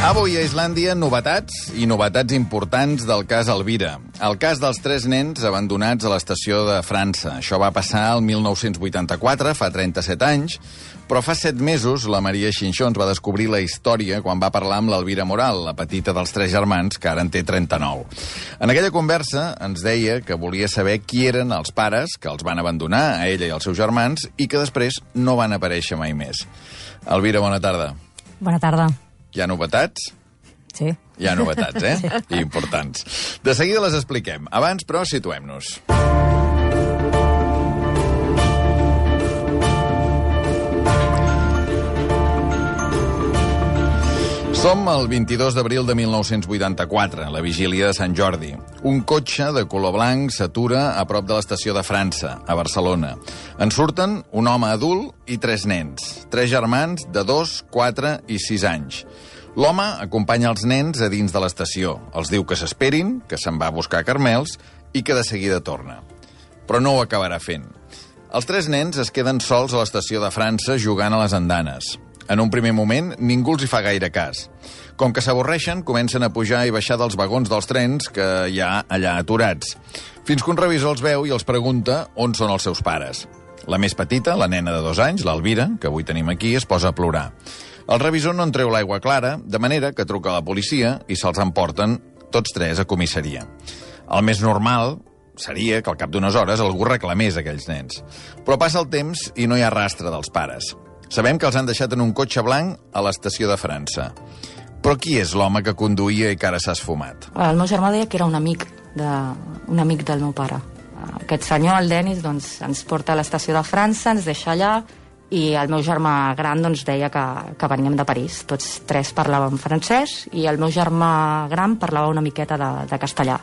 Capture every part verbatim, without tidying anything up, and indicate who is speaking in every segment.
Speaker 1: Avui a Islàndia, novetats i novetats importants del cas Elvira. El cas dels tres nens abandonats a l'estació de França. Això va passar el mil nou-cents vuitanta-quatre, fa trenta-set anys, però fa set mesos la Maria Xinxó ens va descobrir la història quan va parlar amb l'Elvira Moral, la petita dels tres germans, que ara en té trenta-nou. En aquella conversa ens deia que volia saber qui eren els pares que els van abandonar, a ella i als seus germans, i que després no van aparèixer mai més. Elvira, bona tarda.
Speaker 2: Bona tarda.
Speaker 1: Hi ha novetats?
Speaker 2: Sí.
Speaker 1: Hi ha novetats, eh? Sí. I importants. De seguida les expliquem. Abans, però, situem-nos. Som el vint-i-dos d'abril de mil nou-cents vuitanta-quatre, la vigília de Sant Jordi. Un cotxe de color blanc s'atura a prop de l'estació de França, a Barcelona. En surten un home adult i tres nens, tres germans de dos, quatre i sis anys. L'home acompanya els nens a dins de l'estació. Els diu que s'esperin, que se'n va a buscar carmels i que de seguida torna. Però no ho acabarà fent. Els tres nens es queden sols a l'estació de França jugant a les andanes. En un primer moment, ningú els hi fa gaire cas. Com que s'avorreixen, comencen a pujar i baixar dels vagons dels trens que hi ha allà aturats. Fins que un revisor els veu i els pregunta on són els seus pares. La més petita, la nena de dos anys, l'Elvira, que avui tenim aquí, es posa a plorar. El revisor no en treu l'aigua clara, de manera que truca a la policia i se'ls emporten tots tres a comissaria. El més normal seria que al cap d'unes hores algú reclamés aquells nens. Però passa el temps i no hi ha rastre dels pares. Sabem que els han deixat en un cotxe blanc a l'estació de França. Però qui és l'home que conduïa i que ara s'ha esfumat?
Speaker 2: El meu germà deia que era un amic, de, un amic del meu pare. Aquest senyor, el Denis, doncs, ens porta a l'estació de França, ens deixa allà, i el meu germà gran doncs, deia que, que veníem de París. Tots tres parlàvem francès i el meu germà gran parlava una miqueta de, de castellà.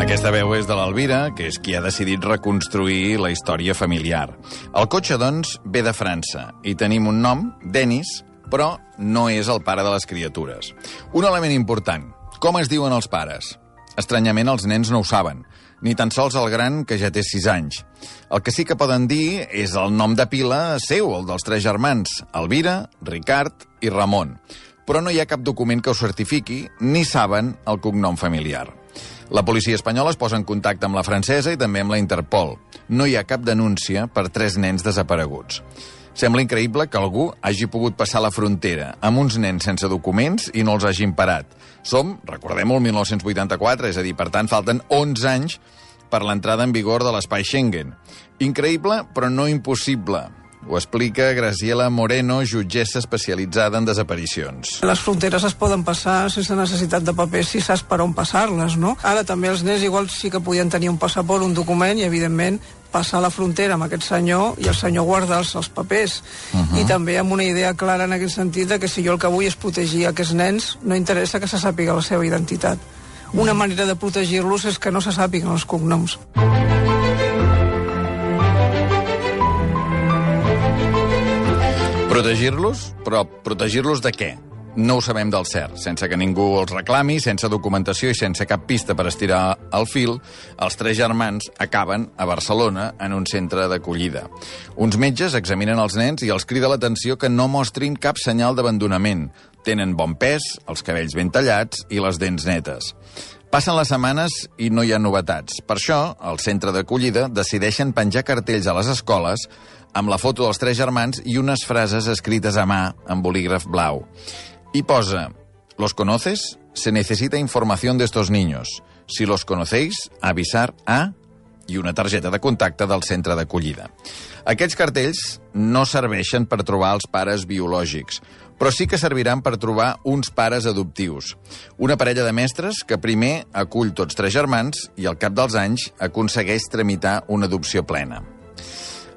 Speaker 1: Aquesta veu és de l'Elvira, que és qui ha decidit reconstruir la història familiar. El cotxe, doncs, ve de França i tenim un nom, Denis, però no és el pare de les criatures. Un element important, com es diuen els pares? Estranyament, els nens no ho saben, ni tan sols el gran, que ja té sis anys. El que sí que poden dir és el nom de pila seu, el dels tres germans, Elvira, Ricard i Ramon. Però no hi ha cap document que ho certifiqui, ni saben el cognom familiar. La policia espanyola es posa en contacte amb la francesa i també amb la Interpol. No hi ha cap denúncia per tres nens desapareguts. Sembla increïble que algú hagi pogut passar la frontera amb uns nens sense documents i no els hagin parat. Som, recordem-ho, el mil nou-cents vuitanta-quatre, és a dir, per tant, falten onze anys per l'entrada en vigor de l'espai Schengen. Increïble, però no impossible. Ho explica Graciela Moreno, jutgessa especialitzada en desaparicions.
Speaker 3: Les fronteres es poden passar sense necessitat de papers si saps per on passar-les, no? Ara també els nens igual sí que podien tenir un passaport, un document, i evidentment passar la frontera amb aquest senyor i el senyor guardar-se els papers. Uh -huh. I també amb una idea clara en aquest sentit de que si jo el que vull és protegir aquests nens, no interessa que se sàpiga la seva identitat. Una manera de protegir-los és que no se sàpiguen els cognoms.
Speaker 1: Protegir-los? Però protegir-los de què? No ho sabem del cert. Sense que ningú els reclami, sense documentació i sense cap pista per estirar el fil, els tres germans acaben a Barcelona en un centre d'acollida. Uns metges examinen els nens i els crida l'atenció que no mostrin cap senyal d'abandonament. Tenen bon pes, els cabells ben tallats i les dents netes. Passen les setmanes i no hi ha novetats. Per això, al centre d'acollida decideixen penjar cartells a les escoles amb la foto dels tres germans i unes frases escrites a mà amb bolígraf blau. I posa: ¿Los conoces? Se necesita información de estos niños. Si los conocéis, avisar a... i una targeta de contacte del centre d'acollida. Aquests cartells no serveixen per trobar els pares biològics, però sí que serviran per trobar uns pares adoptius. Una parella de mestres que primer acull tots tres germans i al cap dels anys aconsegueix tramitar una adopció plena.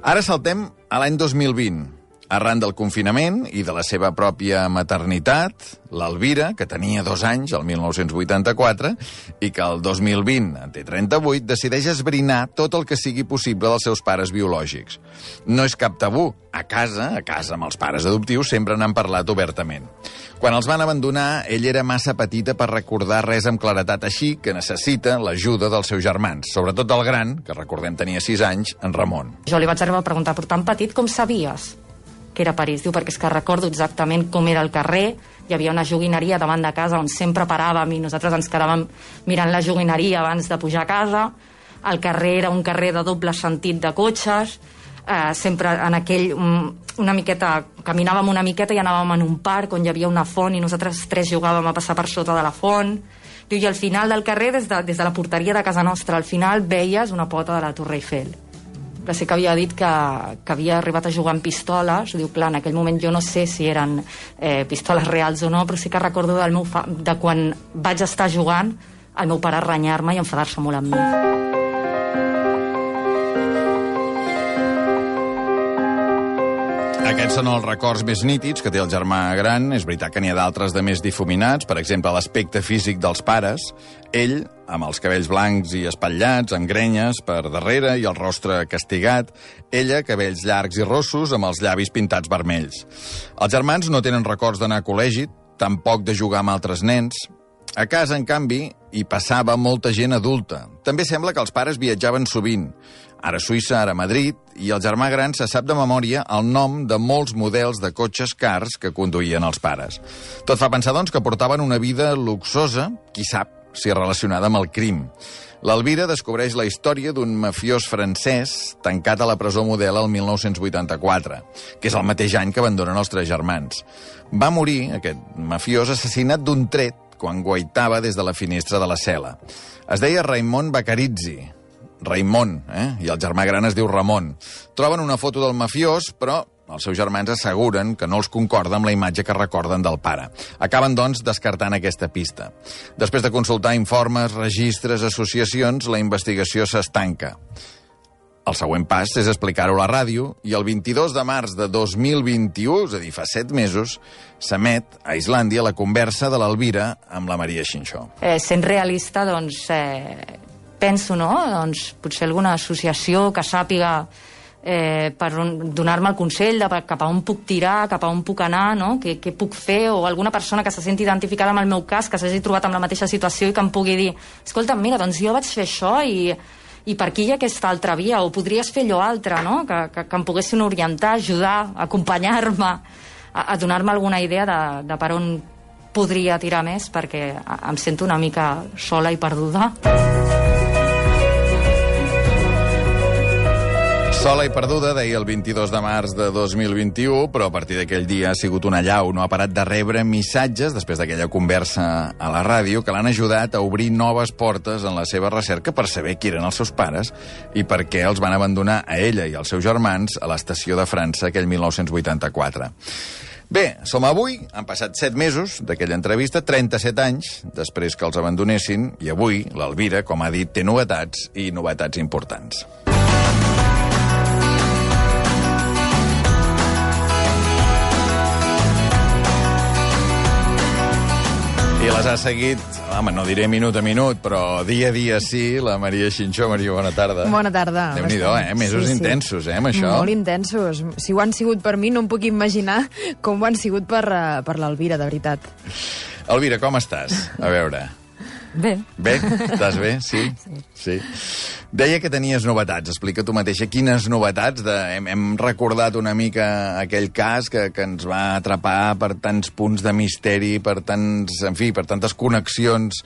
Speaker 1: Ara saltem a l'any dos mil vint. Arran del confinament i de la seva pròpia maternitat, l'Elvira, que tenia dos anys, el mil nou-cents vuitanta-quatre, i que el dos mil vint en té trenta-vuit, decideix esbrinar tot el que sigui possible dels seus pares biològics. No és cap tabú. A casa, a casa amb els pares adoptius, sempre n'han parlat obertament. Quan els van abandonar, ell era massa petita per recordar res amb claretat, així que necessita l'ajuda dels seus germans, sobretot el gran, que recordem tenia sis anys, en Ramon.
Speaker 2: Jo li vaig arribar a preguntar, però tan petit com sabies? que era París? Diu, perquè és que recordo exactament com era el carrer, hi havia una joguineria davant de casa on sempre paràvem i nosaltres ens quedàvem mirant la joguineria abans de pujar a casa. El carrer era un carrer de doble sentit de cotxes, eh, sempre en aquell... Um, una miqueta, caminàvem una miqueta i anàvem en un parc on hi havia una font i nosaltres tres jugàvem a passar per sota de la font. Diu, i al final del carrer, des de, des de la porteria de casa nostra, al final veies una pota de la Torre Eiffel. Que sí que havia dit que, que havia arribat a jugar amb pistoles. Diu, clar, en aquell moment jo no sé si eren eh, pistoles reals o no, però sí que recordo del meu fa... de quan vaig estar jugant el meu pare renyar-me i enfadar-se molt amb mi.
Speaker 1: Aquests són els records més nítids que té el germà gran. És veritat que n'hi ha d'altres de més difuminats, per exemple, l'aspecte físic dels pares. Ell, amb els cabells blancs i espatllats, amb grenyes per darrere i el rostre castigat. Ella, cabells llargs i rossos, amb els llavis pintats vermells. Els germans no tenen records d'anar a col·legi, tampoc de jugar amb altres nens. A casa, en canvi, hi passava molta gent adulta. També sembla que els pares viatjaven sovint. Ara a Suïssa, ara a Madrid, i el germà gran se sap de memòria el nom de molts models de cotxes cars que conduïen els pares. Tot fa pensar, doncs, que portaven una vida luxosa, qui sap si relacionada amb el crim. L'Elvira descobreix la història d'un mafiós francès tancat a la presó Model el mil nou-cents vuitanta-quatre, que és el mateix any que abandonen els tres germans. Va morir, aquest mafiós, assassinat d'un tret quan guaitava des de la finestra de la cel·la. Es deia Raimon Baccarizzi, Raimon, eh? I el germà gran es diu Ramon. Troben una foto del mafiós, però els seus germans asseguren que no els concorda amb la imatge que recorden del pare. Acaben, doncs, descartant aquesta pista. Després de consultar informes, registres, associacions, la investigació s'estanca. El següent pas és explicar-ho a la ràdio i el vint-i-dos de març de dos mil vint-i-u, és a dir, fa set mesos, s'emet a Islàndia la conversa de l'Elvira amb la Maria Xinxó.
Speaker 2: Eh, sent realista, doncs... Eh... penso, no?, doncs potser alguna associació que sàpiga eh, per donar-me el consell de cap a on puc tirar, cap a on puc anar, no?, què, què puc fer, o alguna persona que se senti identificada amb el meu cas, que s'hagi trobat amb la mateixa situació i que em pugui dir, escolta, mira, doncs jo vaig fer això i, i per aquí hi ha aquesta altra via, o podries fer allò altre, no?, que, que, que em poguessin orientar, ajudar, acompanyar-me, a, a donar-me alguna idea de, de per on podria tirar més, perquè em sento una mica sola i perduda.
Speaker 1: Sola i perduda, deia el vint-i-dos de març de dos mil vint-i-u, però a partir d'aquell dia ha sigut una allau. No ha parat de rebre missatges, després d'aquella conversa a la ràdio, que l'han ajudat a obrir noves portes en la seva recerca per saber qui eren els seus pares i per què els van abandonar a ella i als seus germans a l'estació de França aquell mil nou-cents vuitanta-quatre. Bé, som avui, han passat set mesos d'aquella entrevista, trenta-set anys després que els abandonessin, i avui l'Elvira, com ha dit, té novetats i novetats importants. I les ha seguit, home, no diré minut a minut, però dia a dia sí, la Maria Xinxó. Maria, bona tarda.
Speaker 4: Bona tarda.
Speaker 1: Déu-n'hi-do, eh? Mesos sí, sí. intensos, eh, amb això.
Speaker 4: Molt intensos. Si ho han sigut per mi, no em puc imaginar com ho han sigut per, per l'Elvira, de veritat.
Speaker 1: Elvira, com estàs? A veure...
Speaker 2: Bé.
Speaker 1: Bé? Estàs bé? Sí? Sí. sí. Deia que tenies novetats. Explica tu mateixa quines novetats. De... Hem, hem recordat una mica aquell cas que, que ens va atrapar per tants punts de misteri, per tants, en fi, per tantes connexions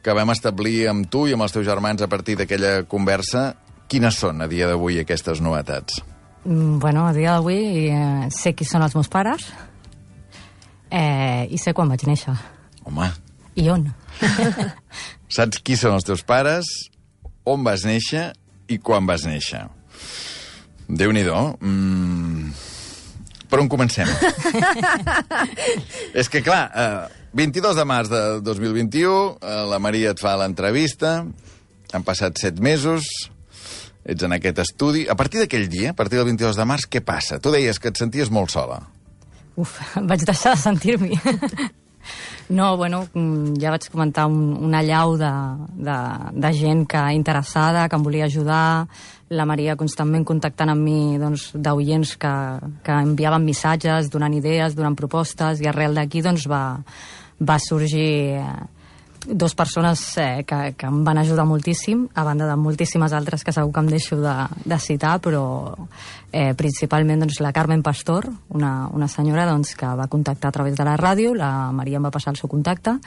Speaker 1: que vam establir amb tu i amb els teus germans a partir d'aquella conversa. Quines són, a dia d'avui, aquestes novetats?
Speaker 2: Mm, bueno, a dia d'avui eh, sé qui són els meus pares eh, i sé quan vaig néixer.
Speaker 1: Home.
Speaker 2: I on.
Speaker 1: Saps qui són els teus pares, on vas néixer i quan vas néixer. Déu-n'hi-do. Mm... Per on comencem? És que, clar, eh, vint-i-dos de març de dos mil vint-i-u, eh, la Maria et fa l'entrevista, han passat set mesos, ets en aquest estudi. A partir d'aquell dia, a partir del vint-i-dos de març, què passa? Tu deies que et senties molt sola.
Speaker 2: Uf, vaig deixar de sentir-m'hi. No, bueno, ja vaig comentar un, una allau de, de, de gent que interessada, que em volia ajudar, la Maria constantment contactant amb mi, doncs, d'oients que, que enviaven missatges, donant idees, donant propostes, i arrel d'aquí doncs, va, va sorgir dos persones eh, que, que em van ajudar moltíssim, a banda de moltíssimes altres que segur que em deixo de, de citar, però eh, principalment doncs, la Carmen Pastor, una, una senyora doncs, que va contactar a través de la ràdio, la Maria em va passar el seu contacte,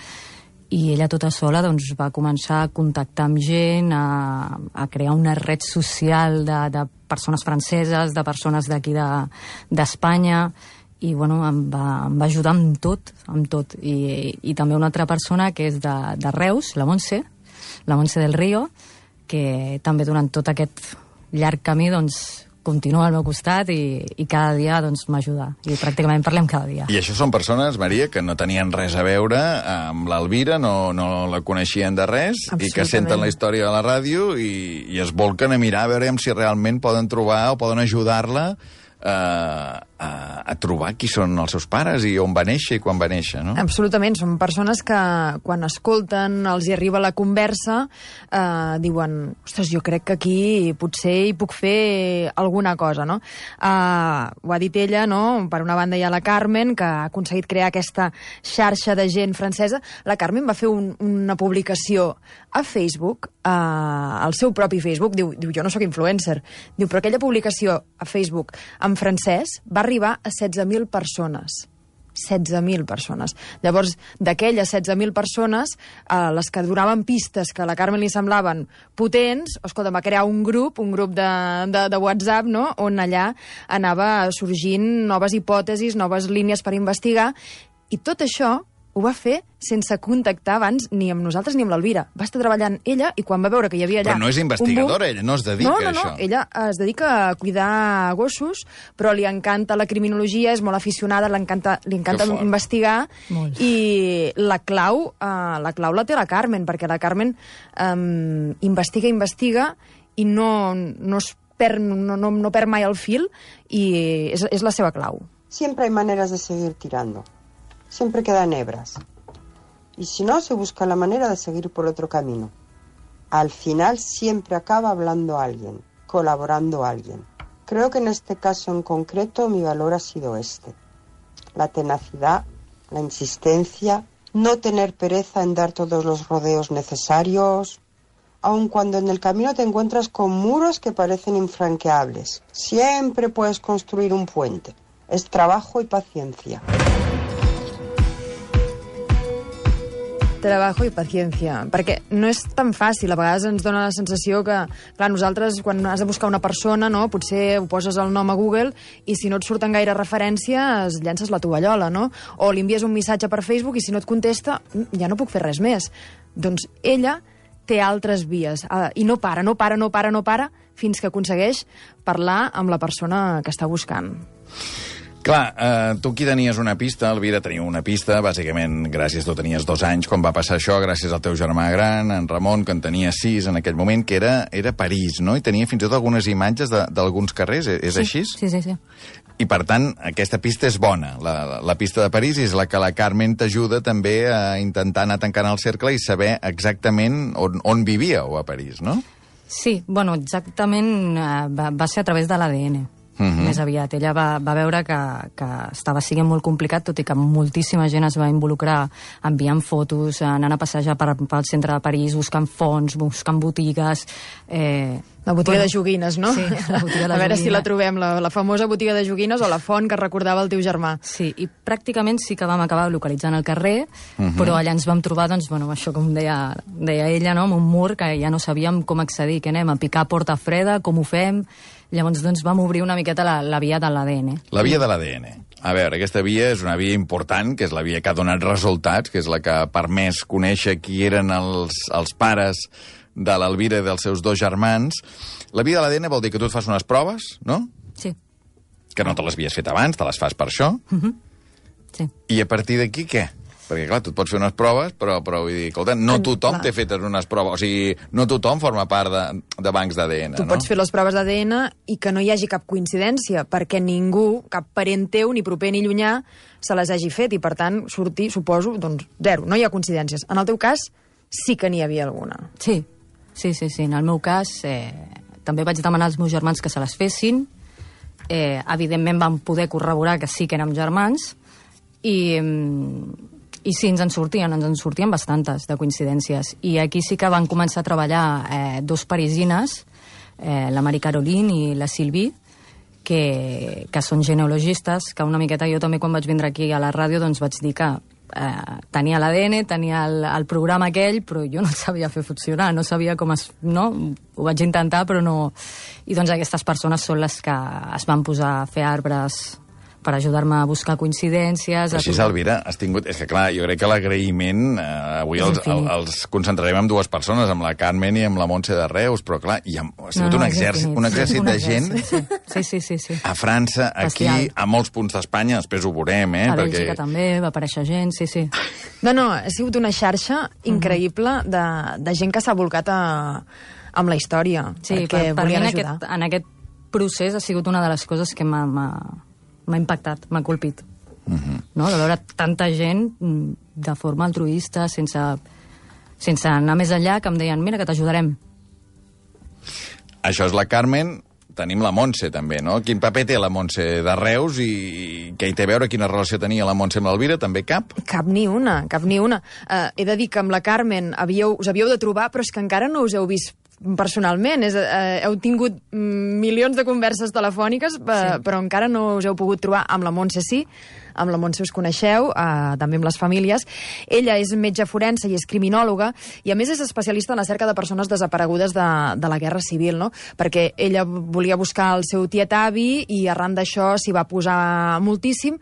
Speaker 2: i ella tota sola doncs, va començar a contactar amb gent, a, a crear una red social de, de persones franceses, de persones d'aquí d'Espanya, de, i bueno, em va, em va ajudar amb tot, amb tot. I, i també una altra persona que és de, de Reus, la Montse, la Montse del Río, que també durant tot aquest llarg camí doncs, continua al meu costat i, i cada dia doncs, m'ajuda. I pràcticament parlem cada dia.
Speaker 1: I això són persones, Maria, que no tenien res a veure amb l'Elvira, no, no la coneixien de res, i que senten la història de la ràdio i, i es volquen a mirar a veure si realment poden trobar o poden ajudar-la a, a, a trobar qui són els seus pares i on va néixer i quan va néixer, no?
Speaker 4: Absolutament, són persones que quan escolten, els hi arriba la conversa, eh, diuen, ostres, jo crec que aquí potser hi puc fer alguna cosa, no? Eh, ho ha dit ella, no? Per una banda hi ha la Carmen, que ha aconseguit crear aquesta xarxa de gent francesa. La Carmen va fer un, una publicació a Facebook, eh, al seu propi Facebook, diu, diu, jo no sóc influencer, diu, però aquella publicació a Facebook en francès va arribar a setze mil persones. setze mil persones. Llavors, d'aquelles setze mil persones, eh, les que donaven pistes que a la Carmen li semblaven potents, escolta, va crear un grup, un grup de, de, de WhatsApp, no?, on allà anava sorgint noves hipòtesis, noves línies per investigar, i tot això ho va fer sense contactar abans ni amb nosaltres ni amb l'Elvira. Va estar treballant ella i quan va veure que hi havia allà...
Speaker 1: Però no és investigadora, ella no es dedica
Speaker 4: no, no,
Speaker 1: a això.
Speaker 4: No, ella es dedica a cuidar gossos, però li encanta la criminologia, és molt aficionada, li encanta, li encanta investigar, molt. I la clau, uh, la clau la té la Carmen, perquè la Carmen um, investiga, investiga i no, no, es perd, no, no, no perd mai el fil i és, és la seva clau.
Speaker 5: Siempre hay maneras de seguir tirando. Siempre quedan hebras. Y si no, se busca la manera de seguir por otro camino. Al final siempre acaba hablando alguien, colaborando alguien. Creo que en este caso en concreto mi valor ha sido este. La tenacidad, la insistencia, no tener pereza en dar todos los rodeos necesarios, aun cuando en el camino te encuentras con muros que parecen infranqueables. Siempre puedes construir un puente. Es trabajo y paciencia.
Speaker 4: Trabajo i paciència, perquè no és tan fàcil. A vegades ens dona la sensació que, clar, nosaltres, quan has de buscar una persona, no, potser ho poses el nom a Google i si no et surten gaire referències, llences la tovallola, no? O li envies un missatge per Facebook i si no et contesta, ja no puc fer res més. Doncs ella té altres vies uh, i no para, no para, no para, no para, fins que aconsegueix parlar amb la persona que està buscant.
Speaker 1: Clar, eh, tu aquí tenies una pista, Elvira tenia una pista, bàsicament gràcies, tu tenies dos anys quan va passar això, gràcies al teu germà gran, en Ramon, que en tenia sis en aquell moment, que era, era París, no? I tenia fins i tot algunes imatges d'alguns carrers, és
Speaker 2: sí,
Speaker 1: així?
Speaker 2: Sí, sí, sí.
Speaker 1: I per tant, aquesta pista és bona, la, la pista de París és la que la Carmen t'ajuda també a intentar anar tancant el cercle i saber exactament on, on vivíeu a París, no?
Speaker 2: Sí, bueno, exactament eh, va, va ser a través de l'A D N. Uh-huh. Més aviat. Ella va, va veure que, que estava sent molt complicat, tot i que moltíssima gent es va involucrar enviant fotos, anant a passejar per, pel centre de París, buscant fonts, buscant botigues... Eh,
Speaker 4: la botiga
Speaker 2: bueno,
Speaker 4: de joguines, no?
Speaker 2: Sí, la botiga de
Speaker 4: a veure
Speaker 2: joguines.
Speaker 4: si la trobem, la, la famosa botiga de joguines o la font que recordava el teu germà.
Speaker 2: Sí, i pràcticament sí que vam acabar localitzant el carrer, uh-huh. però allà ens vam trobar, doncs, bueno, això com deia, deia ella, no? Amb un mur que ja no sabíem com accedir, que anem a picar porta freda, com ho fem... Llavors, doncs, vam obrir una miqueta la, la via de l'A D N.
Speaker 1: La via de l'A D N. A veure, aquesta via és una via important, que és la via que ha donat resultats, que és la que ha permès conèixer qui eren els, els pares de l'Elvira i dels seus dos germans. La via de l'A D N vol dir que tu et fas unes proves, no?
Speaker 2: Sí.
Speaker 1: Que no te les havies fet abans, te les fas per això.
Speaker 2: Uh-huh. Sí.
Speaker 1: I a partir d'aquí, què? Perquè, clar, tu et pots fer unes proves, però, però vull dir, escolta, no tothom té fetes unes proves. O sigui, no tothom forma part de, de bancs d'A D N,
Speaker 4: tu
Speaker 1: no?
Speaker 4: Tu pots fer les proves d'A D N i que no hi hagi cap coincidència, perquè ningú, cap parent teu, ni proper ni llunyà, se les hagi fet, i per tant, sortir, suposo, doncs, zero, no hi ha coincidències. En el teu cas, sí que n'hi havia alguna.
Speaker 2: Sí, sí, sí, sí. En el meu cas, eh, també vaig demanar als meus germans que se les fessin. Eh, evidentment, vam poder corroborar que sí que érem germans, i... I sí, ens en sortien, ens en sortien bastantes de coincidències. I aquí sí que van començar a treballar eh, dos parisines, eh, la Marie Caroline i la Sylvie, que, que són genealogistes, que una miqueta jo també quan vaig vindre aquí a la ràdio doncs vaig dir que eh, tenia l'A D N, tenia el, el programa aquell, però jo no el sabia fer funcionar, no sabia com es... No? Ho vaig intentar, però no... I doncs aquestes persones són les que es van posar a fer arbres per ajudar-me a buscar coincidències...
Speaker 1: Però així, Elvira, has tingut... És que, clar, jo crec que l'agraïment... Eh, avui els, el, els concentrarem en dues persones, amb la Carmen i amb la Montse de Reus, però, clar, hi ha, ha sigut no, no, un, exèrcit, un exèrcit de gent...
Speaker 2: Sí, sí, sí, sí.
Speaker 1: A França, aquí, Bestial. A molts punts d'Espanya, després ho veurem, eh?
Speaker 2: A Bèlgica perquè... també va aparèixer gent, sí, sí.
Speaker 4: No, no, ha sigut una xarxa increïble de, de gent que s'ha volcat a, amb la història,
Speaker 2: sí,
Speaker 4: perquè
Speaker 2: per, per
Speaker 4: volien
Speaker 2: mi en
Speaker 4: ajudar.
Speaker 2: Aquest, en aquest procés ha sigut una de les coses que m'ha... m'ha impactat, m'ha colpit. Uh -huh. No? De veure tanta gent de forma altruista, sense, sense anar més enllà, que em deien, mira, que t'ajudarem.
Speaker 1: Això és la Carmen, tenim la Montse, també, no? Quin paper té la Montse de Reus i què hi té a veure, quina relació tenia la Montse amb l'Elvira? També cap?
Speaker 4: Cap ni una, cap ni una. Uh, he de dir que amb la Carmen havíeu, us havíeu de trobar, però és que encara no us heu vist personalment. És, eh, heu tingut milions de converses telefòniques, eh, sí. però encara no us heu pogut trobar. Amb la Montse sí, amb la Montse us coneixeu, eh, també amb les famílies. Ella és metge forense i és criminòloga, i a més és especialista en la cerca de persones desaparegudes de, de la Guerra Civil, no? Perquè ella volia buscar el seu tiet avi i arran d'això s'hi va posar moltíssim.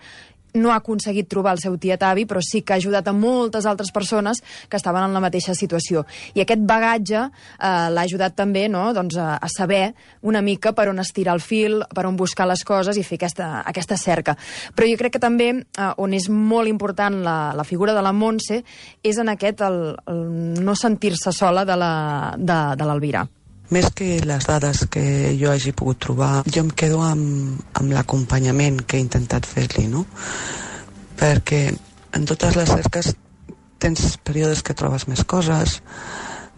Speaker 4: No ha aconseguit trobar el seu tiet avi, però sí que ha ajudat a moltes altres persones que estaven en la mateixa situació. I aquest bagatge eh, l'ha ajudat també, no?, doncs, a, a saber una mica per on estirar el fil, per on buscar les coses i fer aquesta, aquesta cerca. Però jo crec que també, eh, on és molt important la, la figura de la Montse, és en aquest el, el no sentir-se sola de la, de, de l'Elvira.
Speaker 6: Més que les dades que jo hagi pogut trobar, jo em quedo amb, amb l'acompanyament que he intentat fer-li, no? Perquè en totes les cerques tens períodes que trobes més coses,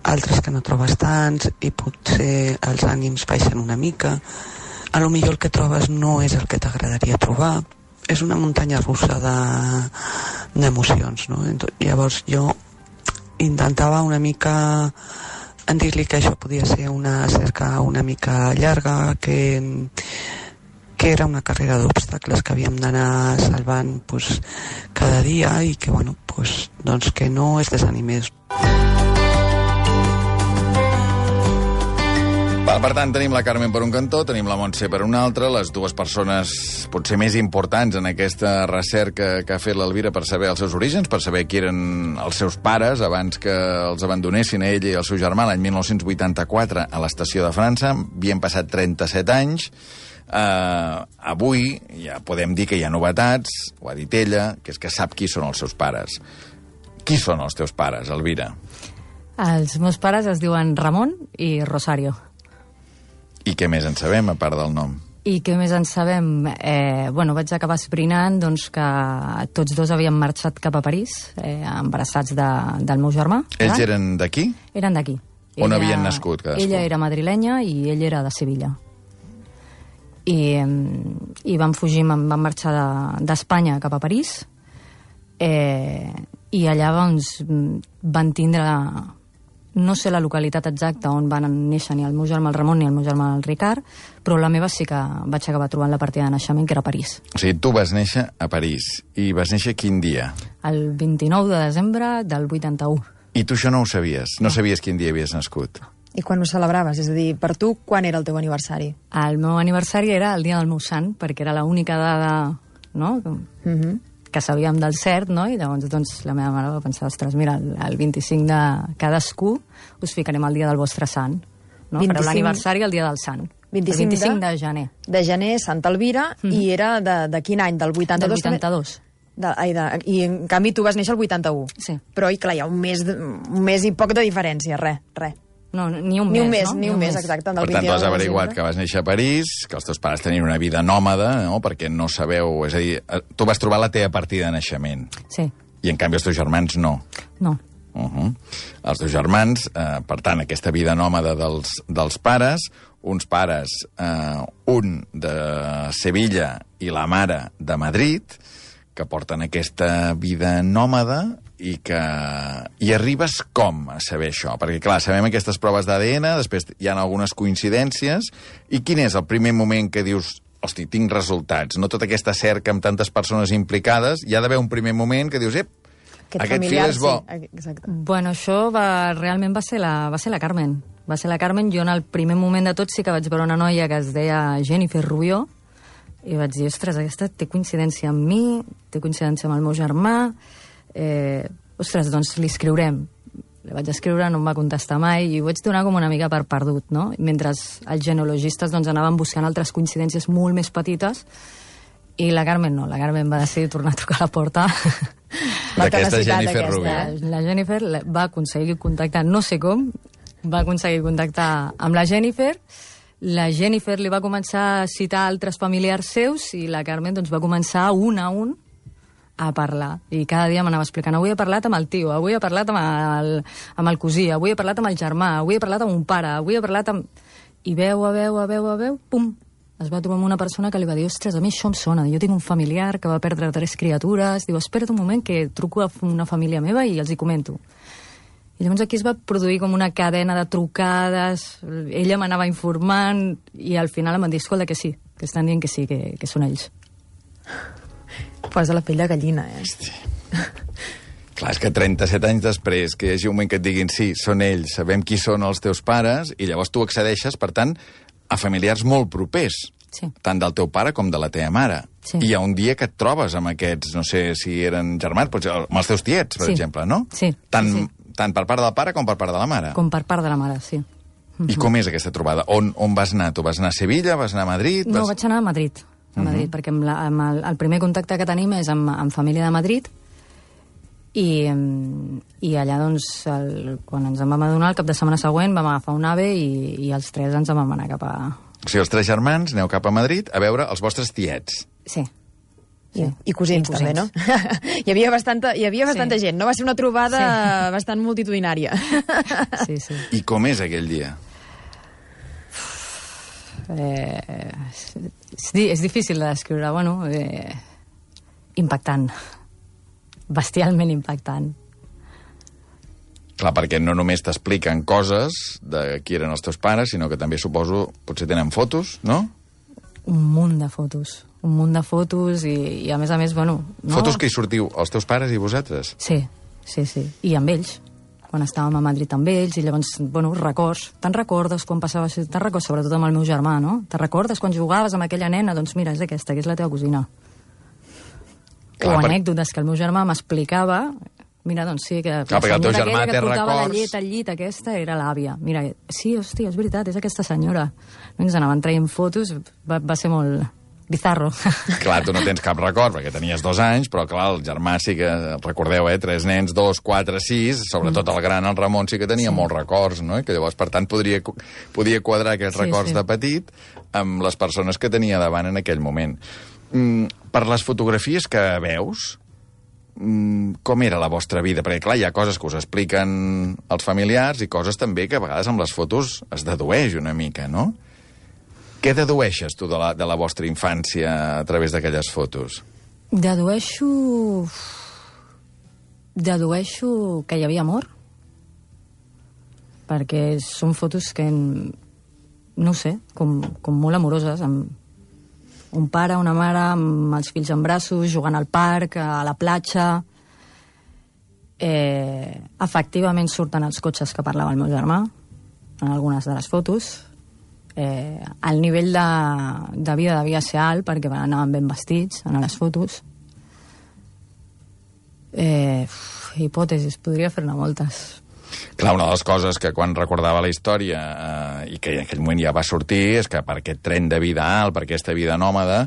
Speaker 6: altres que no trobes tants, i potser els ànims baixen una mica. A lo millor el que trobes no és el que t'agradaria trobar. És una muntanya russa d'emocions, no? Llavors jo intentava una mica en dir-li que això podia ser una cerca una mica llarga, que, que era una carrera d'obstacles que havíem d'anar salvant pues, cada dia i que, bueno, pues, doncs que no es desanimés.
Speaker 1: Per tant, tenim la Carmen per un cantó, tenim la Montse per un altre, les dues persones potser més importants en aquesta recerca que ha fet l'Elvira per saber els seus orígens, per saber qui eren els seus pares abans que els abandonessin a ell i el seu germà l'any mil nou-cents vuitanta-quatre a l'estació de França. Havien passat trenta-set anys. Uh, avui ja podem dir que hi ha novetats, ho ha dit ella, que és que sap qui són els seus pares. Qui són els teus pares, Elvira?
Speaker 2: Els meus pares es diuen Ramon i Rosario.
Speaker 1: I què més en sabem, a part del nom?
Speaker 2: I què més en sabem? Eh, bueno, vaig acabar esprinant doncs, que tots dos havien marxat cap a París, eh, embarassats de, del meu germà.
Speaker 1: Ells eh? eren d'aquí?
Speaker 2: Eren d'aquí.
Speaker 1: On
Speaker 2: ella,
Speaker 1: havien nascut cadascú?
Speaker 2: Ella era madrilenya i ell era de Sevilla. I, i van fugir, van marxar d'Espanya de, cap a París, eh, i allà doncs, van tindre... No sé la localitat exacta on van néixer ni el meu germà el Ramon ni el meu germà el Ricard, però la meva sí que vaig acabar trobant la partida de naixement, que era a París.
Speaker 1: O sigui, tu vas néixer a París. I vas néixer quin dia?
Speaker 2: El vint-i-nou de desembre del vuitanta-u.
Speaker 1: I tu això no ho sabies? No sabies quin dia havies nascut?
Speaker 4: I quan ho celebraves? És a dir, per tu, quan era el teu aniversari?
Speaker 2: El meu aniversari era el dia del meu sant, perquè era l'única dada, no?, mm-hmm. que sabíem del cert, no? I llavors doncs, la meva mare va pensar, ostres, mira, el, el vint-i-cinc de cadascú us ficarem el dia del vostre sant. No? vint-i-cinc... Fareu l'aniversari el dia del sant.
Speaker 4: vint-i-cinc
Speaker 2: el vint-i-cinc de... de gener.
Speaker 4: De gener, Santa Elvira, mm. i era de, de quin any? Del vuitanta-dos?
Speaker 2: Del vuitanta-dos.
Speaker 4: De, ai, de, I en canvi tu vas néixer el vuitanta-u.
Speaker 2: Sí.
Speaker 4: Però, i clar, hi ha un mes, de, un mes i poc de diferència, res, res.
Speaker 2: No, ni un
Speaker 4: ni
Speaker 2: mes,
Speaker 4: un mes,
Speaker 2: no?
Speaker 4: Ni un mes, exacte.
Speaker 1: Per tant, tu has averiguat que vas néixer a París, que els teus pares tenien una vida nòmada, no?, perquè no sabeu... És a dir, tu vas trobar la teva partida de naixement.
Speaker 2: Sí.
Speaker 1: I, en canvi, els teus germans no.
Speaker 2: No.
Speaker 1: Uh -huh. Els teus germans, eh, per tant, aquesta vida nòmada dels, dels pares, uns pares, eh, un de Sevilla i la mare de Madrid, que que porten aquesta vida nòmada i que... I arribes com a saber això? Perquè, clar, sabem aquestes proves d'A D N, després hi ha algunes coincidències, i quin és el primer moment que dius hosti, tinc resultats, no tota aquesta cerca amb tantes persones implicades, hi ha d'haver un primer moment que dius, ep, aquest, aquest fil és bo.
Speaker 4: Sí, exacte.
Speaker 2: Bueno, això va, realment va ser, la, va ser la Carmen. Va ser la Carmen. Jo en el primer moment de tot sí que vaig veure una noia que es deia Jennifer Rubió, i vaig dir, ostres, aquesta té coincidència amb mi, té coincidència amb el meu germà, eh, ostres, doncs li escriurem. Li vaig escriure, no em va contestar mai, i ho vaig donar com una mica per perdut, no? Mentre els genealogistes doncs, anaven buscant altres coincidències molt més petites, i la Carmen no, la Carmen va decidir tornar a trucar a la porta.
Speaker 1: D'aquesta Jennifer Rubió.
Speaker 2: La, la Jennifer va aconseguir contactar, no sé com, va aconseguir contactar amb la Jennifer. La Jennifer li va començar a citar altres familiars seus i la Carmen doncs, va començar un a un a parlar. I cada dia m'anava explicant, avui he parlat amb el tio, avui he parlat amb el, amb el cosí, avui he parlat amb el germà, avui he parlat amb un pare, avui he parlat amb... I veu, a veu, a veu, a veu, pum, es va trobar amb una persona que li va dir, ostres, a mi això em sona, jo tinc un familiar que va perdre tres criatures, diu, espera't un moment que truco a una família meva i els hi comento. I llavors aquí es va produir com una cadena de trucades, ella m'anava informant, i al final em van dir, escolta, que sí, que estan dient que sí, que, que són ells.
Speaker 4: Posa la pell de gallina, eh?
Speaker 1: Hòstia. Clar, és que trenta-set anys després que hi hagi un moment que et diguin sí, són ells, sabem qui són els teus pares, i llavors tu accedeixes, per tant, a familiars molt propers,
Speaker 2: sí.
Speaker 1: tant del teu pare com de la teva mare.
Speaker 2: Sí.
Speaker 1: I hi ha un dia que et trobes amb aquests, no sé si eren germans, potser amb els teus tiets, per
Speaker 2: sí.
Speaker 1: exemple, no?
Speaker 2: Sí.
Speaker 1: Tant,
Speaker 2: sí.
Speaker 1: tant per part del pare com per part de la mare.
Speaker 2: Com per part de la mare, sí.
Speaker 1: I com és aquesta trobada? On, on vas anar? Tu vas anar a Sevilla? Vas anar a Madrid?
Speaker 2: No,
Speaker 1: vas...
Speaker 2: vaig anar a Madrid, a Madrid, uh-huh. perquè amb la, amb el, el primer contacte que tenim és amb, amb família de Madrid, i, i allà, doncs, el, quan ens en vam adonar, el cap de setmana següent vam agafar un AVE i, i els tres ens en vam anar cap a...
Speaker 1: O sigui, els tres germans aneu cap a Madrid a veure els vostres tiets.
Speaker 2: Sí.
Speaker 4: Sí. I cosins, I cosins, també, no? hi havia bastanta, hi havia bastanta sí. gent, no? Va ser una trobada sí. bastant multitudinària.
Speaker 2: sí, sí.
Speaker 1: I com és aquell dia?
Speaker 2: Eh, és, és difícil de descriure, bueno, eh, impactant. Bestialment impactant.
Speaker 1: Clar, perquè no només t'expliquen coses de qui eren els teus pares, sinó que també, suposo, potser tenen fotos, no?
Speaker 2: Un munt de fotos. Un munt de fotos i, i a més a més, bueno... No?
Speaker 1: Fotos que hi sortiu, els teus pares i vosaltres?
Speaker 2: Sí, sí, sí. I amb ells, quan estàvem a Madrid amb ells, i llavors, bueno, records. Te'n recordes quan passaves... Te'n recordes, sobretot amb el meu germà, no? Te'n recordes quan jugaves amb aquella nena? Doncs mira, és aquesta, que és la teva cosina. Clar, o anècdotes per... que el meu germà m'explicava... Mira, doncs sí, que
Speaker 1: clar,
Speaker 2: la senyora
Speaker 1: aquella
Speaker 2: que portava
Speaker 1: records...
Speaker 2: la llet al llit, aquesta era l'àvia. Mira, sí, hòstia, és veritat, és aquesta senyora. Ens anaven traient fotos, va, va ser molt bizarro.
Speaker 1: Clar, tu no tens cap record, perquè tenies dos anys, però clar, el germà sí que, recordeu, eh, tres nens, dos, quatre, sis, sobretot mm. el gran, el Ramon, sí que tenia sí. molts records, no? I que llavors, per tant, podria, podia quadrar aquests sí, records sí. de petit amb les persones que tenia davant en aquell moment. Mm, per les fotografies que veus, com era la vostra vida? Perquè, clar, hi ha coses que us expliquen els familiars i coses també que a vegades amb les fotos es dedueix una mica, no? Què dedueixes tu de la, de la vostra infància a través d'aquelles fotos?
Speaker 2: Dedueixo... Dedueixo que hi havia amor. Perquè són fotos que, no ho sé, com, com molt amoroses, amb un pare, una mare, amb els fills en braços, jugant al parc, a la platja. Eh, efectivament surten els cotxes que parlava el meu germà, en algunes de les fotos. Eh, el nivell de, de vida devia ser alt, perquè anaven ben vestits en les fotos. Eh, hipòtesis, podria fer-ne moltes.
Speaker 1: Clar, una de les coses que quan recordava la història eh, i que en aquell moment ja va sortir és que per aquest tren de vida alt, per aquesta vida nòmada,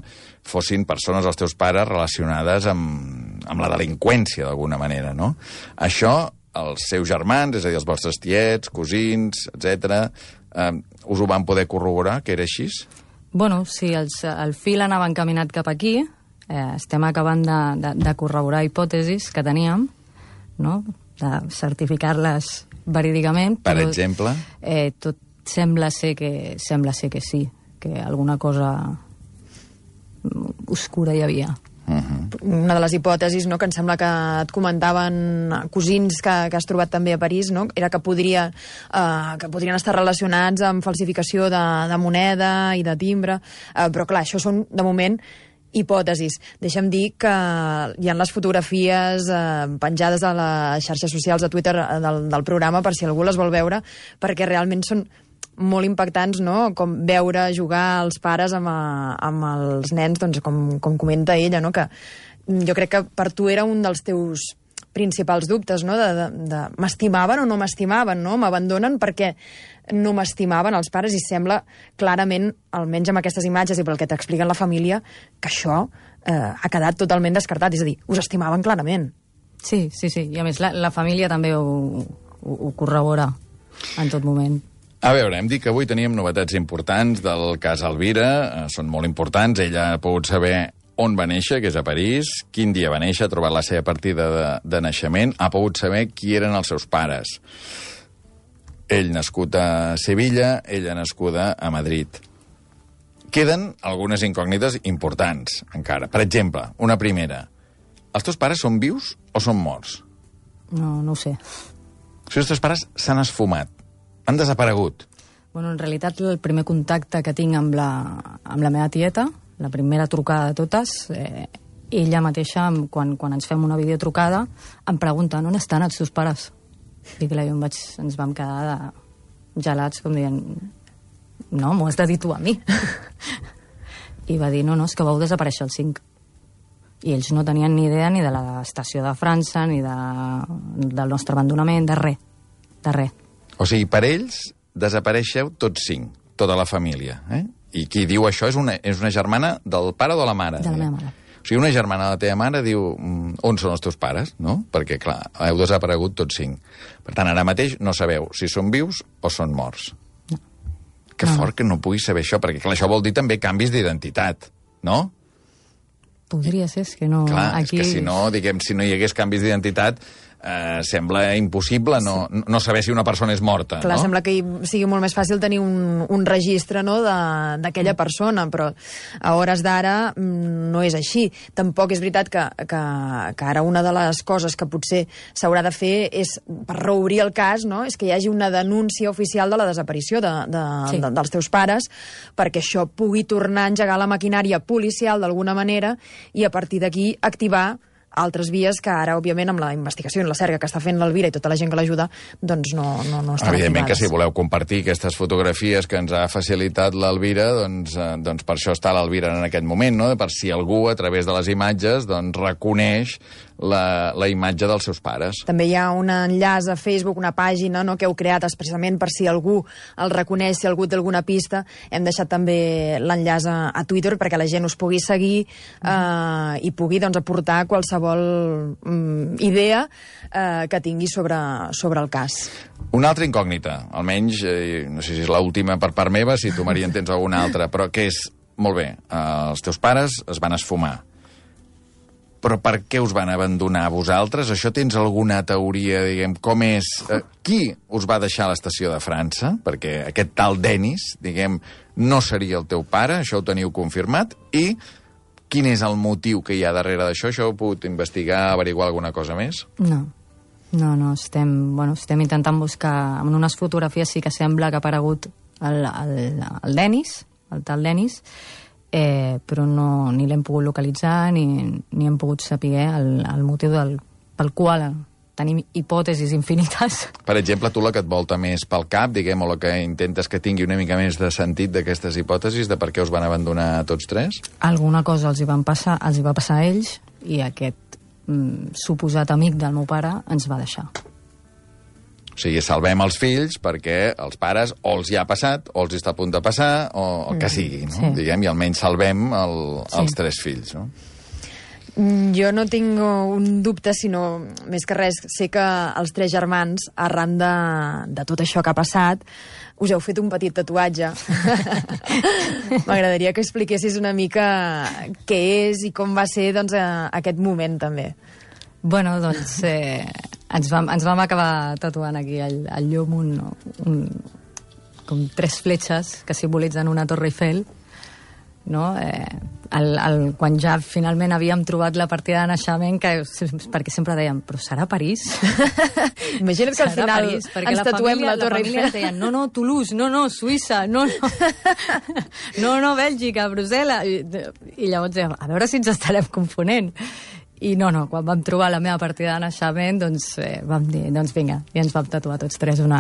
Speaker 1: fossin persones, els teus pares, relacionades amb, amb la delinqüència d'alguna manera, no? Això, els seus germans, és a dir, els vostres tiets, cosins, etcètera, eh, us ho van poder corroborar, que era així?
Speaker 2: Bueno, sí, els, el fil anava encaminat cap aquí, eh, estem acabant de, de, de corroborar hipòtesis que teníem, no?, de certificar-les verídicament.
Speaker 1: Per
Speaker 2: però,
Speaker 1: exemple?
Speaker 2: Eh, tot sembla ser que sembla ser que sí, que alguna cosa oscura hi havia.
Speaker 1: Uh-huh.
Speaker 4: una de les hipòtesis, no?, que em sembla que et comentaven cosins que, que has trobat també a París, no?, era que, podria, eh, que podrien estar relacionats amb falsificació de, de moneda i de timbre, eh, però clar, això són, de moment, hipòtesis. Deixa'm dir que hi ha les fotografies eh, penjades a les xarxes socials de Twitter del, del programa per si algú les vol veure, perquè realment són molt impactants, no?, com veure jugar els pares amb, a, amb els nens, doncs com, com comenta ella, no?, que jo crec que per tu era un dels teus principals dubtes, no?, de, de, de m'estimaven o no m'estimaven, no?, m'abandonen perquè no m'estimaven els pares, i sembla clarament, almenys amb aquestes imatges i pel que t'expliquen la família, que això eh, ha quedat totalment descartat, és a dir, us estimaven clarament.
Speaker 2: Sí, sí, sí, i a més la, la família també ho, ho, ho corrobora en tot moment.
Speaker 1: A veure, hem dit que avui teníem novetats importants del cas Elvira, eh, són molt importants, ella ha pogut saber on va néixer, que és a París, quin dia va néixer, ha trobat la seva partida de, de naixement, ha pogut saber qui eren els seus pares. Ell nascut a Sevilla, ella nascuda a Madrid. Queden algunes incògnites importants, encara. Per exemple, una primera. Els teus pares són vius o són morts?
Speaker 2: No, no ho sé.
Speaker 1: Si els teus pares s'han esfumat, han desaparegut.
Speaker 2: Bueno, en realitat, el primer contacte que tinc amb la, amb la meva tieta, la primera trucada de totes, eh, ella mateixa, quan, quan ens fem una videotrucada, em pregunta on estan els teus pares? I clar, jo em vaig, ens vam quedar de gelats, com dient, no, m'ho has de dir tu a mi. I va dir, no, no, és que vau desaparèixer el cinc. I ells no tenien ni idea ni de l'estació de França, ni de, del nostre abandonament, de res, de res.
Speaker 1: O sigui, per ells desapareixeu tots cinc, tota la família. Eh? I qui diu això és una, és una germana del pare o de la mare?
Speaker 2: De la meva mare.
Speaker 1: O sigui, una germana de la teva mare diu on són els teus pares, no? Perquè, clar, heu desaparegut tots cinc. Per tant, ara mateix no sabeu si són vius o són morts.
Speaker 2: No.
Speaker 1: Que
Speaker 2: no.
Speaker 1: fort que no puguis saber això, perquè, clar, això vol dir també canvis d'identitat, no?
Speaker 2: Podria ser, és que no...
Speaker 1: Clar,
Speaker 2: aquí...
Speaker 1: és que si no, diguem, si no hi hagués canvis d'identitat, eh, sembla impossible no, no saber si una persona és morta,
Speaker 4: Clar,
Speaker 1: no?
Speaker 4: sembla que sigui molt més fàcil tenir un, un registre, no?, d'aquella persona, però a hores d'ara no és així. Tampoc és veritat que, que, que ara una de les coses que potser s'haurà de fer és, per reobrir el cas, no?, és que hi hagi una denúncia oficial de la desaparició de, de, sí. de, dels teus pares, perquè això pugui tornar a engegar la maquinària policial d'alguna manera i a partir d'aquí activar altres vies que ara, òbviament, amb la investigació i la cerca que està fent l'Elvira i tota la gent que l'ajuda, doncs no, no, no estan
Speaker 1: Evidentment
Speaker 4: activades.
Speaker 1: Que si voleu compartir aquestes fotografies que ens ha facilitat l'Elvira, doncs, eh, doncs per això està l'Elvira en aquest moment, no? Per si algú, a través de les imatges, doncs reconeix la, la imatge dels seus pares.
Speaker 4: També hi ha un enllaç a Facebook, una pàgina, no?, que heu creat expressament per si algú el reconeix, si algú té alguna pista. Hem deixat també l'enllaç a, a Twitter perquè la gent us pugui seguir eh, i pugui, doncs, aportar qualsevol mm, idea eh, que tingui sobre, sobre el cas.
Speaker 1: Una altra incògnita, almenys, eh, no sé si és l'última per part meva, si tu, Maria, en tens alguna altra, però que és, molt bé, eh, els teus pares es van esfumar, però per què us van abandonar a vosaltres? Això tens alguna teoria, diguem, com és... Eh, qui us va deixar a l'estació de França? Perquè aquest tal Denis, diguem, no seria el teu pare, això ho teniu confirmat, i quin és el motiu que hi ha darrere d'això? Això heu pogut investigar, averiguar alguna cosa més?
Speaker 2: No, no, no, estem, bueno, estem intentant buscar... En unes fotografies sí que sembla que ha aparegut el, el, el Denis, el tal Denis, eh, però no, ni l'hem pogut localitzar ni, ni hem pogut saber el, el motiu del, pel qual tenim hipòtesis infinites.
Speaker 1: Per exemple, tu la que et volta més pel cap, diguem, o la que intentes que tingui una mica més de sentit d'aquestes hipòtesis, de per què us van abandonar tots tres?
Speaker 2: Alguna cosa els hi, van passar, els hi va passar a ells i aquest mm, suposat amic del meu pare ens va deixar.
Speaker 1: O sigui, salvem els fills perquè els pares o els hi ha passat, o els hi està a punt de passar, o el que sigui, no?
Speaker 2: Sí.
Speaker 1: Diguem, i almenys salvem el,
Speaker 2: Sí.
Speaker 1: els tres fills, no?
Speaker 4: Jo no tinc un dubte, sinó, més que res, sé que els tres germans, arran de, de tot això que ha passat, us heu fet un petit tatuatge. M'agradaria que expliquessis una mica què és i com va ser, doncs, aquest moment, també.
Speaker 2: Bueno, doncs eh, ens, vam, ens vam acabar tatuant aquí al, al llum un, un, com tres fletxes que simbolitzen una Torre Eiffel, no? Eh, el, el, quan ja finalment havíem trobat la partida de naixement, que, perquè sempre dèiem, però serà París?
Speaker 4: Imagina't que al
Speaker 2: Serà
Speaker 4: final
Speaker 2: París,
Speaker 4: ens
Speaker 2: la
Speaker 4: tatuem
Speaker 2: família,
Speaker 4: la Torre
Speaker 2: la família
Speaker 4: Eiffel.
Speaker 2: ens deien, no, no, Toulouse, no, no, Suïssa, no, no, no, no, Bèlgica, Brussel·les. I, I llavors dèiem, a veure si ens estarem confonent. I no, no, quan vam trobar la meva partida de naixement, doncs eh, vam dir, doncs vinga, i ens vam tatuar tots tres una,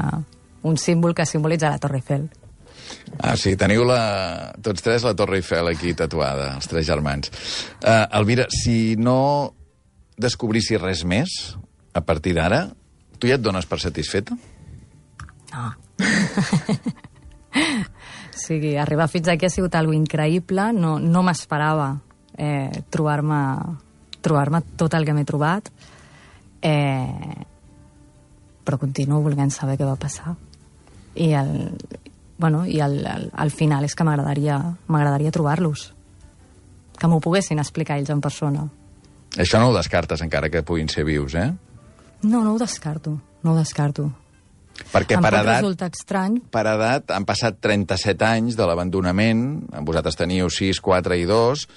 Speaker 2: un símbol que simbolitza la Torre Eiffel.
Speaker 1: Ah, sí, teniu la, tots tres la Torre Eiffel aquí tatuada, els tres germans. Uh, Elvira, si no descobrissis res més, a partir d'ara, tu ja et dones per satisfeta?
Speaker 2: No. O sigui, arribar fins aquí ha sigut algo increïble, no, no m'esperava eh, trobar-me trobar-me tot el que m'he trobat, eh, però continuo volent saber què va passar. I el, bueno, i el, el, el final és que m'agradaria m'agradaria trobar-los, que m'ho poguessin explicar ells en persona.
Speaker 1: Això no ho descartes, encara que puguin ser vius, eh?
Speaker 2: No, no ho descarto, no ho descarto.
Speaker 1: Perquè
Speaker 2: em
Speaker 1: per
Speaker 2: pot
Speaker 1: edat,
Speaker 2: resultar estrany.
Speaker 1: per edat han passat trenta-set anys de l'abandonament, vosaltres teniu sis, quatre i dos,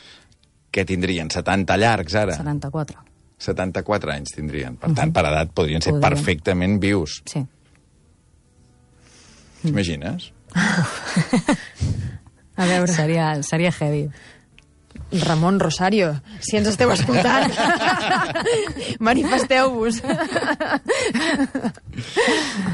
Speaker 1: que tindrien setanta llargs ara.
Speaker 2: setanta-quatre.
Speaker 1: setanta-quatre anys tindrien. Per tant, per edat podrien ser
Speaker 2: Podrien.
Speaker 1: perfectament vius.
Speaker 2: Sí.
Speaker 1: T'imagines?
Speaker 2: A veure, seria, seria heavy.
Speaker 4: Ramon Rosario, si ens esteu escoltant, manifesteu-vos.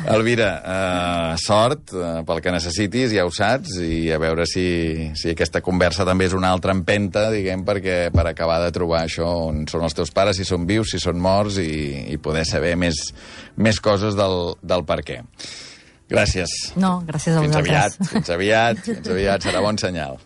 Speaker 1: Elvira, eh, sort eh, pel que necessitis, ja ho saps, i a veure si, si aquesta conversa també és una altra empenta, diguem, perquè per acabar de trobar això on són els teus pares, si són vius, si són morts, i, i poder saber més, més coses del, del per què. Gràcies.
Speaker 2: No, gràcies a
Speaker 1: Fins
Speaker 2: vosaltres.
Speaker 1: aviat, fins aviat, fins aviat, serà bon senyal.